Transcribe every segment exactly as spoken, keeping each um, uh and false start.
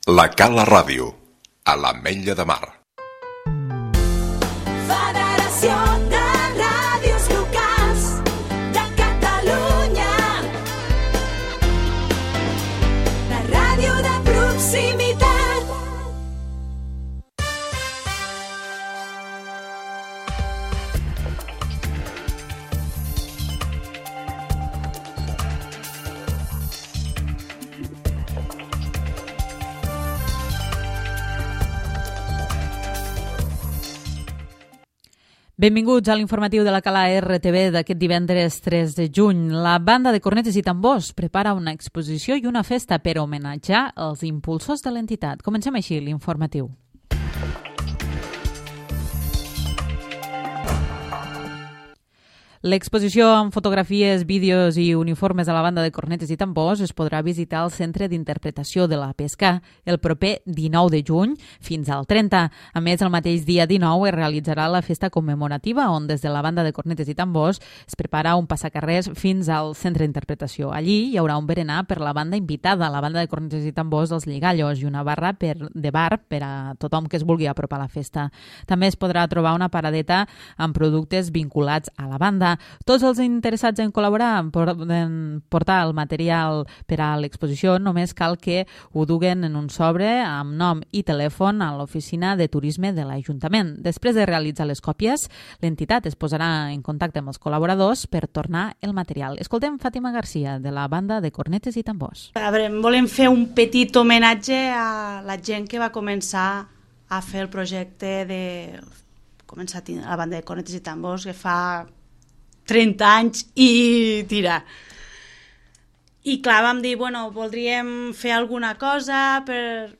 La Cala Ràdio, a l'Ametlla de Mar. Federació de Ràdios Locals de Catalunya. La ràdio de proximitat. Benvinguts a l'informatiu de la Cala R T V d'aquest divendres tres de juny. La banda de cornetes i tambors prepara una exposició i una festa per homenatjar els impulsors de l'entitat. Comencem així l'informatiu. L'exposició amb fotografies, vídeos i uniformes de la banda de cornetes i tambors es podrà visitar al Centre d'Interpretació de la Pesca el proper dinou de juny fins al trenta. A més, el mateix dia dinou es realitzarà la festa commemorativa on des de la banda de cornetes i tambors es prepara un passacarrers fins al Centre d'Interpretació. Allí hi haurà un berenar per la banda invitada, la banda de cornetes i tambors dels Lligallos, i una barra per, de bar per a tothom que es vulgui apropar a la festa. També es podrà trobar una paradeta amb productes vinculats a la banda. Tots els interessats en col·laborar en portar el material per a l'exposició només cal que ho duguen en un sobre amb nom i telèfon a l'oficina de turisme de l'Ajuntament. Després de realitzar les còpies, l'entitat es posarà en contacte amb els col·laboradors per tornar el material. Escoltem Fàtima Garcia, de la banda de cornetes i tambors. A veure, volem fer un petit homenatge a la gent que va començar a fer el projecte de començar a la banda de cornetes i tambors, que fa trenta anys i tira. I clar, vam dir, bueno, voldríem fer alguna cosa per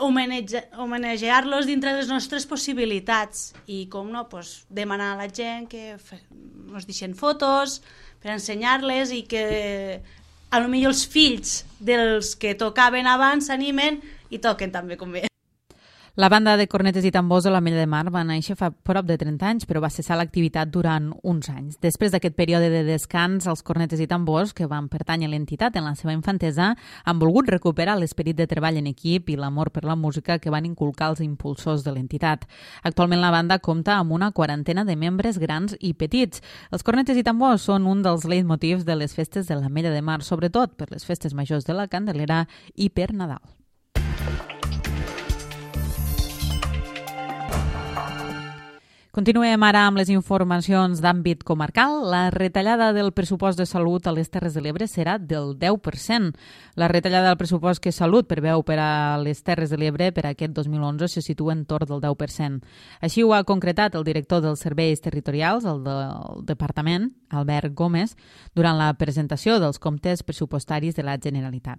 homenatjar-los dintre de les nostres possibilitats. I com no, pues, demanar a la gent que ens deixen fotos per ensenyar-les i que a lo millor els fills dels que tocaven abans s'animen i toquen també com bé. La banda de cornetes i tambors de l'Ametlla de Mar va néixer fa prop de trenta anys, però va cessar l'activitat durant uns anys. Després d'aquest període de descans, els cornetes i tambors, que van pertànyer a l'entitat en la seva infantesa, han volgut recuperar l'esperit de treball en equip i l'amor per la música que van inculcar els impulsors de l'entitat. Actualment la banda compta amb una quarantena de membres grans i petits. Els cornetes i tambors són un dels leitmotivs de les festes de l'Ametlla de Mar, sobretot per les festes majors de la Candelera i per Nadal. Continuem ara amb les informacions d'àmbit comarcal. La retallada del pressupost de salut a les Terres de l'Ebre serà del deu per cent. La retallada del pressupost que Salut preveu per a les Terres de l'Ebre per a aquest dos mil onze se situa entorn del deu per cent. Així ho ha concretat el director dels serveis territorials, el del departament, Albert Gómez, durant la presentació dels comptes pressupostaris de la Generalitat.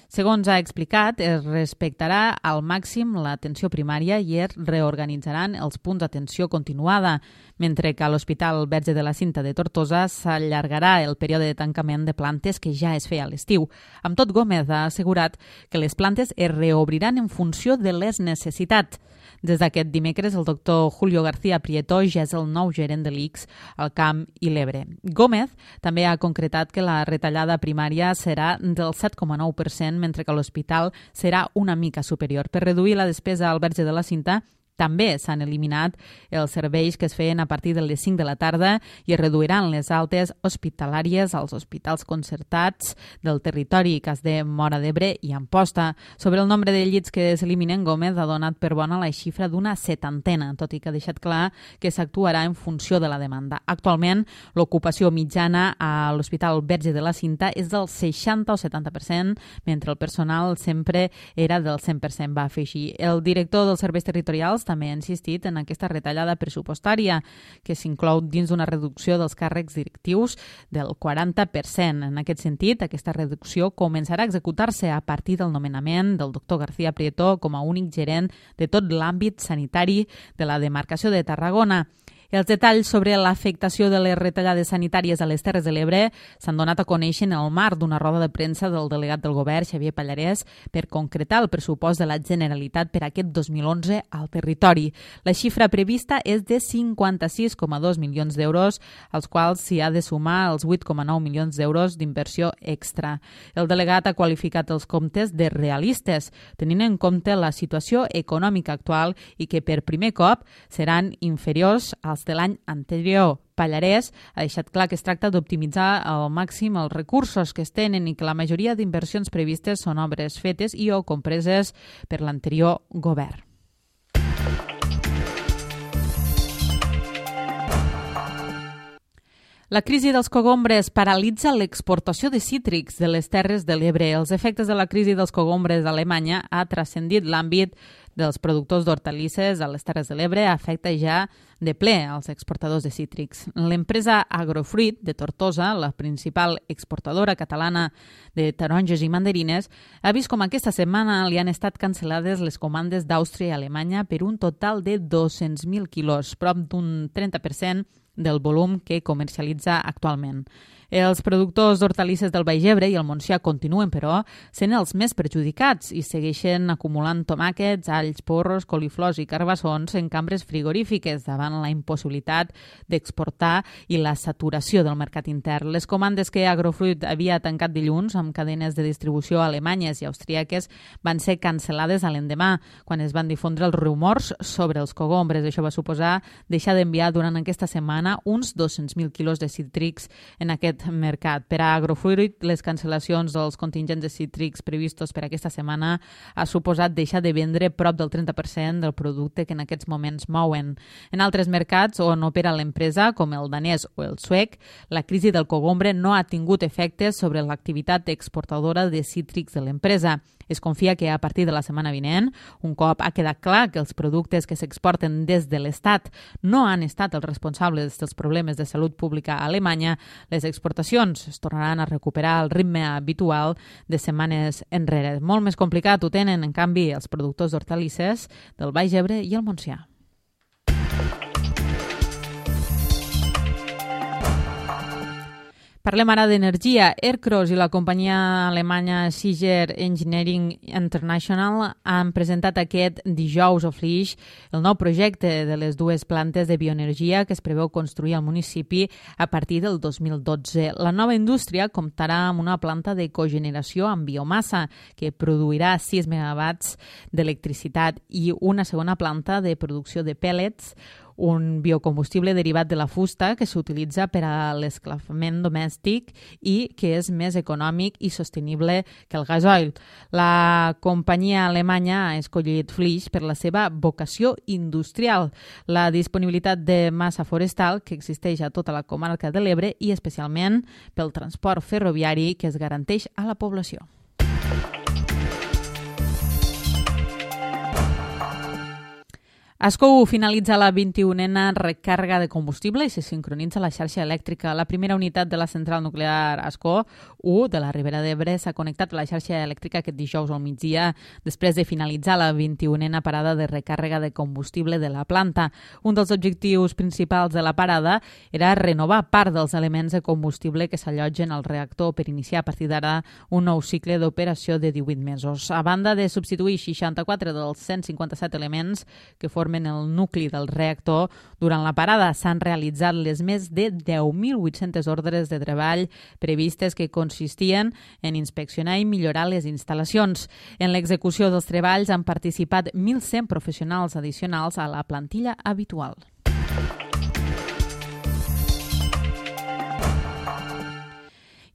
Segons ha explicat, es respectarà al màxim l'atenció primària i es reorganitzaran els punts d'atenció continuada, mentre que a l'Hospital Verge de la Cinta de Tortosa s'allargarà el període de tancament de plantes que ja es feia a l'estiu. Amb tot, Gómez ha assegurat que les plantes es reobriran en funció de les necessitats. Des d'aquest dimecres, el doctor Julio García Prieto ja és el nou gerent de l'I C S al Camp i l'Ebre. Gómez també ha concretat que la retallada primària serà del set coma nou per cent, mentre que l'hospital serà una mica superior. Per reduir la despesa al Verge de la Cinta, també s'han eliminat els serveis que es feien a partir de les cinc de la tarda i es reduiran les altes hospitalàries als hospitals concertats del territori, cas de Móra d'Ebre i Amposta. Sobre el nombre de llits que s'eliminen, Gómez ha donat per bona la xifra d'una setantena, tot i que ha deixat clar que s'actuarà en funció de la demanda. Actualment, l'ocupació mitjana a l'Hospital Verge de la Cinta és del seixanta o setanta per cent, mentre el personal sempre era del cent per cent, va afegir. El director dels serveis territorials també ha insistit en aquesta retallada pressupostària, que s'inclou dins d'una reducció dels càrrecs directius del quaranta per cent. En aquest sentit, aquesta reducció començarà a executar-se a partir del nomenament del doctor García Prieto com a únic gerent de tot l'àmbit sanitari de la demarcació de Tarragona. Els detalls sobre l'afectació de les retallades sanitàries a les Terres de l'Ebre s'han donat a conèixer en el marc d'una roda de premsa del delegat del govern, Xavier Pallarès, per concretar el pressupost de la Generalitat per aquest dos mil onze al territori. La xifra prevista és de cinquanta-sis coma dos milions d'euros, als quals s'hi ha de sumar els vuit coma nou milions d'euros d'inversió extra. El delegat ha qualificat els comptes de realistes, tenint en compte la situació econòmica actual i que per primer cop seran inferiors als de l'any anterior. Pallarès ha deixat clar que es tracta d'optimitzar al màxim els recursos que es tenen i que la majoria d'inversions previstes són obres fetes i o compreses per l'anterior govern. La crisi dels cogombres paralitza l'exportació de cítrics de les Terres de l'Ebre. Els efectes de la crisi dels cogombres a Alemanya ha transcendit l'àmbit dels productors d'hortalisses a les Terres de l'Ebre, afecta ja de ple als exportadors de cítrics. L'empresa Agrofruit de Tortosa, la principal exportadora catalana de taronges i mandarines, ha vist com aquesta setmana li han estat cancel·lades les comandes d'Àustria i Alemanya per un total de dos-cents mil quilos, prop d'un trenta per cent del volum que comercialitza actualment. Els productors d'hortalisses del Baix Ebre i el Montsià continuen, però, sent els més perjudicats i segueixen acumulant tomàquets, alls, porros, coliflors i carbassons en cambres frigorífiques davant la impossibilitat d'exportar i la saturació del mercat intern. Les comandes que Agrofruit havia tancat dilluns amb cadenes de distribució alemanyes i austríaques van ser cancel·lades a l'endemà, quan es van difondre els rumors sobre els cogombres. Això va suposar deixar d'enviar durant aquesta setmana uns dos-cents mil quilos de cítrics en aquest mercat. Per a Agrofruit, les cancel·lacions dels contingents de cítrics previstos per aquesta setmana ha suposat deixar de vendre prop del trenta per cent del producte que en aquests moments mouen. En altres mercats on opera l'empresa, com el danès o el suec, la crisi del cogombre no ha tingut efectes sobre l'activitat exportadora de cítrics de l'empresa. Es confia que a partir de la setmana vinent, un cop ha quedat clar que els productes que s'exporten des de l'Estat no han estat els responsables dels problemes de salut pública a Alemanya, les exportacions es tornaran a recuperar el ritme habitual de setmanes enrere. Molt més complicat ho tenen, en canvi, els productors d'hortalisses del Baix Ebre i el Montsià. Parlem ara d'energia. Ercros i la companyia alemanya Siger Engineering International han presentat aquest dijous a Flix el nou projecte de les dues plantes de bioenergia que es preveu construir al municipi a partir del dos mil dotze. La nova indústria comptarà amb una planta de cogeneració amb biomassa que produirà sis megawatts d'electricitat i una segona planta de producció de pèl·lets, un biocombustible derivat de la fusta que s'utilitza per a l'escalfament domèstic i que és més econòmic i sostenible que el gasoil. La companyia alemanya ha escollit Flix per la seva vocació industrial, la disponibilitat de massa forestal que existeix a tota la comarca de l'Ebre i especialment pel transport ferroviari que es garanteix a la població. Ascó finalitza la vint-i-unena recàrrega de combustible i se sincronitza la xarxa elèctrica. La primera unitat de la central nuclear Ascó u de la Ribera d'Ebre s'ha connectat a la xarxa elèctrica aquest dijous al migdia després de finalitzar la vint-i-unena parada de recàrrega de combustible de la planta. Un dels objectius principals de la parada era renovar part dels elements de combustible que s'allotgen al reactor per iniciar a partir d'ara un nou cicle d'operació de divuit mesos. A banda de substituir seixanta-quatre dels cent cinquanta-set elements que formen el nucli del reactor, durant la parada s'han realitzat les més de deu mil vuit-centes ordres de treball previstes que consistien en inspeccionar i millorar les instal·lacions. En l'execució dels treballs han participat mil cent professionals addicionals a la plantilla habitual.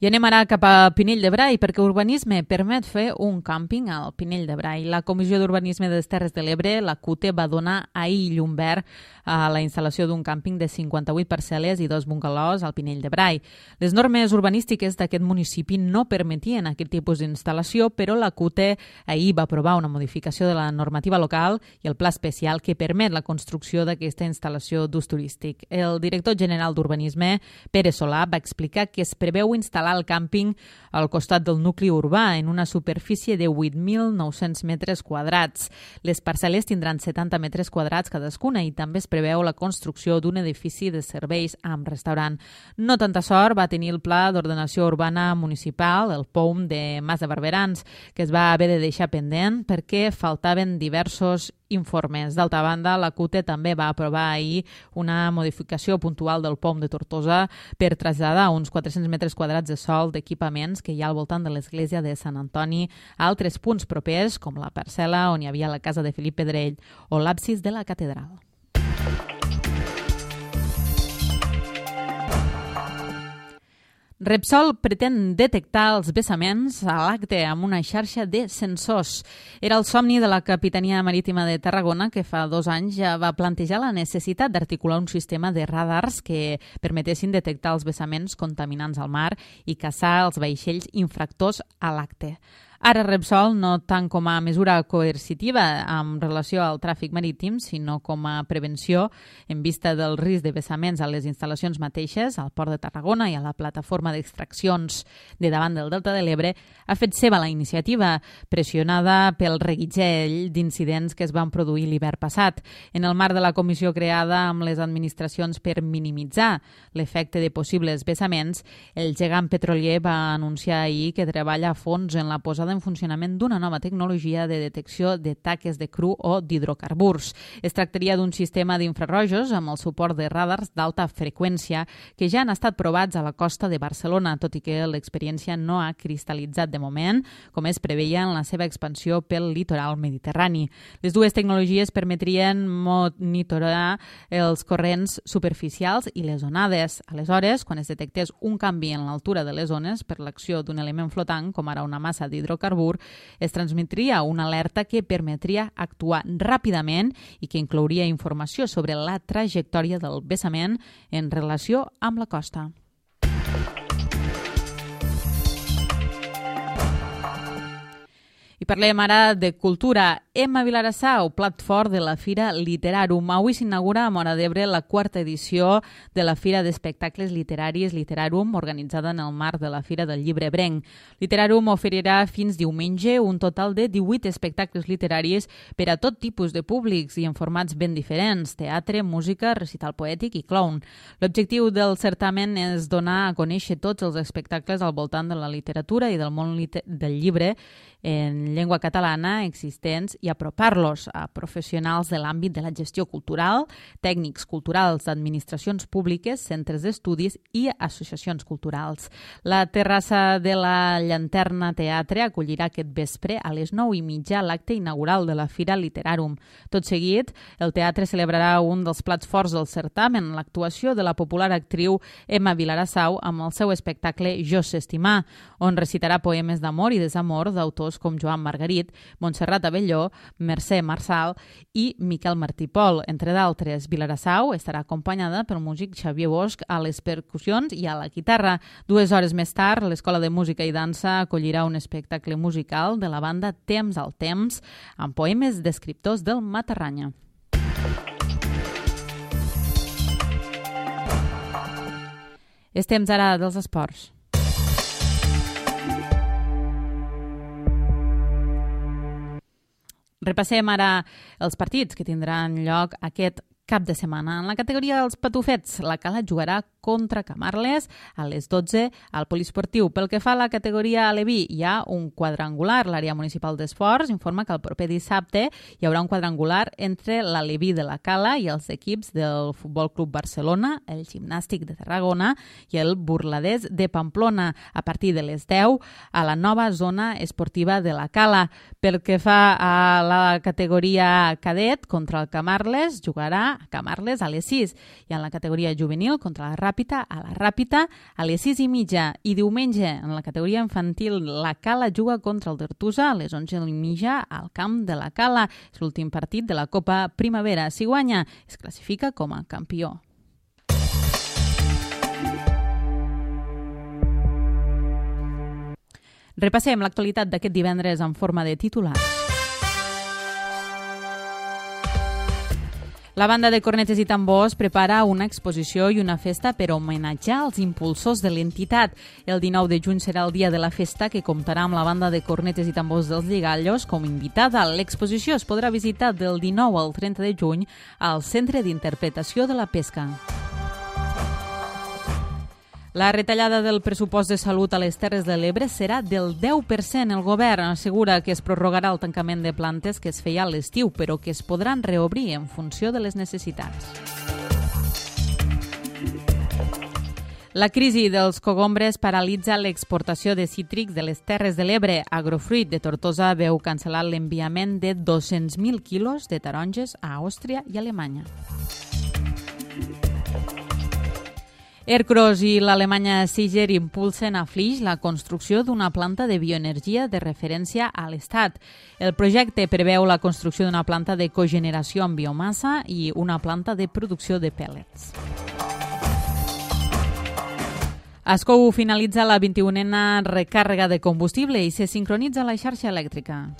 I anem ara cap a Pinell de Brai, perquè urbanisme permet fer un càmping al Pinell de Brai. La Comissió d'Urbanisme de les Terres de l'Ebre, la C U T E, va donar ahir llum verd a la instal·lació d'un càmping de cinquanta-vuit parcel·les i dos bungalows al Pinell de Brai. Les normes urbanístiques d'aquest municipi no permetien aquest tipus d'instal·lació, però la C U T E ahir va aprovar una modificació de la normativa local i el pla especial que permet la construcció d'aquesta instal·lació d'ús turístic. El director general d'Urbanisme, Pere Solà, va explicar que es preveu instal·lar al càmping al costat del nucli urbà, en una superfície de vuit mil nou-cents metres quadrats. Les parcel·les tindran setanta metres quadrats cadascuna i també es preveu la construcció d'un edifici de serveis amb restaurant. No tanta sort va tenir el Pla d'Ordenació Urbana Municipal, el P O U M de Mas de Barberans, que es va haver de deixar pendent perquè faltaven diversos informes. D'altra banda, la CUTE també va aprovar ahir una modificació puntual del P O U M de Tortosa per traslladar uns quatre-cents metres quadrats de sòl d'equipaments que hi ha al voltant de l'església de Sant Antoni a altres punts propers, com la parcel·la on hi havia la casa de Felip Pedrell o l'absis de la catedral. Repsol pretén detectar els vessaments a l'acte amb una xarxa de sensors. Era el somni de la Capitania Marítima de Tarragona, que fa dos anys ja va plantejar la necessitat d'articular un sistema de radars que permetessin detectar els vessaments contaminants al mar i caçar els vaixells infractors a l'acte. Ara Repsol, no tant com a mesura coercitiva en relació al tràfic marítim, sinó com a prevenció en vista del risc de vessaments a les instal·lacions mateixes, al Port de Tarragona i a la plataforma d'extraccions de davant del Delta de l'Ebre, ha fet seva la iniciativa, pressionada pel reguitzell d'incidents que es van produir l'hivern passat. En el marc de la comissió creada amb les administracions per minimitzar l'efecte de possibles vessaments, el gegant petrolier va anunciar ahir que treballa a fons en la posada en funcionament d'una nova tecnologia de detecció de taques de cru o d'hidrocarburs. Es tractaria d'un sistema d'infrarrojos amb el suport de radars d'alta freqüència que ja han estat provats a la costa de Barcelona, tot i que l'experiència no ha cristal·litzat de moment, com es preveia en la seva expansió pel litoral mediterrani. Les dues tecnologies permetrien monitorar els corrents superficials i les onades. Aleshores, quan es detectés un canvi en l'altura de les ones per l'acció d'un element flotant, com ara una massa d'hidrocarburs, es transmetria una alerta que permetria actuar ràpidament i que inclouria informació sobre la trajectòria del vessament en relació amb la costa. I parlem ara de cultura. Emma Vilarassau, plat fort de la Fira Literarum. Avui s'inaugura a Móra d'Ebre la quarta edició de la Fira d'Espectacles Literaris Literarum, organitzada en el marc de la Fira del Llibre Ebrenc. Literarum oferirà fins diumenge un total de divuit espectacles literaris per a tot tipus de públics i en formats ben diferents: teatre, música, recital poètic i clown. L'objectiu del certamen és donar a conèixer tots els espectacles al voltant de la literatura i del món del llibre en llengua catalana existents i apropar-los a professionals de l'àmbit de la gestió cultural, tècnics culturals d'administracions públiques, centres d'estudis i associacions culturals. La terrassa de la Llanterna Teatre acollirà aquest vespre a les nou i mitja l'acte inaugural de la Fira Literarum. Tot seguit, el teatre celebrarà un dels plats forts del certamen, l'actuació de la popular actriu Emma Vilarassau amb el seu espectacle Jo sé estimar, on recitarà poemes d'amor i desamor d'autors com Joan Margarit, Montserrat Abelló, Mercè Marçal i Miquel Martí Pol. Entre d'altres, Vilarassau estarà acompanyada pel músic Xavier Bosch a les percussions i a la guitarra. Dues hores més tard, l'Escola de Música i Dansa acollirà un espectacle musical de la banda Temps al Temps amb poemes d'escriptors del Matarranya. És temps ara dels esports. Repassem ara els partits que tindran lloc aquest cap de setmana. En la categoria dels patufets, la Cala jugarà contra Camarles a les dotze al Poliesportiu. Pel que fa a la categoria aleví, hi ha un quadrangular. L'àrea municipal d'esports informa que el proper dissabte hi haurà un quadrangular entre l'Aleví de la Cala i els equips del Futbol Club Barcelona, el Gimnàstic de Tarragona i el Burladès de Pamplona a partir de les deu a la nova zona esportiva de la Cala. Pel que fa a la categoria cadet, contra el Camarles jugarà a Camarles a les sis i en la categoria juvenil contra la Ràpita a la Ràpita a les sis i mitja i diumenge en la categoria infantil la Cala juga contra el Tortosa a les onze i mitja al camp de la Cala. És l'últim partit de la Copa Primavera. Si guanya, es classifica com a campió. Repassem l'actualitat d'aquest divendres en forma de titulars. La banda de cornetes i tambors prepara una exposició i una festa per homenatjar els impulsors de l'entitat. El dinou de juny serà el dia de la festa, que comptarà amb la banda de cornetes i tambors dels Lligallos com invitada. L'exposició es podrà visitar del dinou al trenta de juny al Centre d'Interpretació de la Pesca. La retallada del pressupost de salut a les Terres de l'Ebre serà del deu per cent. El govern assegura que es prorrogarà el tancament de plantes que es feia a l'estiu, però que es podran reobrir en funció de les necessitats. La crisi dels cogombres paralitza l'exportació de cítrics de les Terres de l'Ebre. Agrofruit de Tortosa veu cancel·lar l'enviament de dos-cents mil quilos de taronges a Àustria i Alemanya. Ercros i l'alemanya Siger impulsen a Flix la construcció d'una planta de bioenergia de referència a l'Estat. El projecte preveu la construcció d'una planta de cogeneració amb biomassa i una planta de producció de pèl·lets. Ascou finalitza la vint-i-unena recàrrega de combustible i se sincronitza la xarxa elèctrica.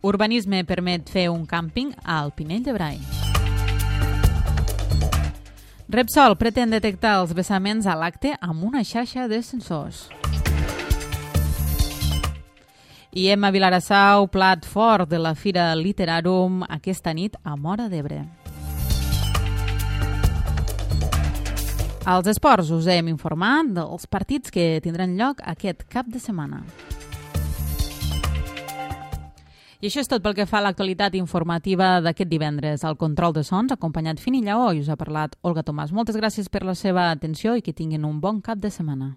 Urbanisme permet fer un càmping al Pinell de Brai. Repsol pretén detectar els vessaments a l'acte amb una xarxa de sensors. I Emma Vilarassau, plat fort de la Fira Literarum aquesta nit a Móra d'Ebre. Als esports us hem informat dels partits que tindran lloc aquest cap de setmana. I això és tot pel que fa a l'actualitat informativa d'aquest divendres. Al control de sons, acompanyat Fini Lleó, i us ha parlat Olga Tomàs. Moltes gràcies per la seva atenció i que tinguin un bon cap de setmana.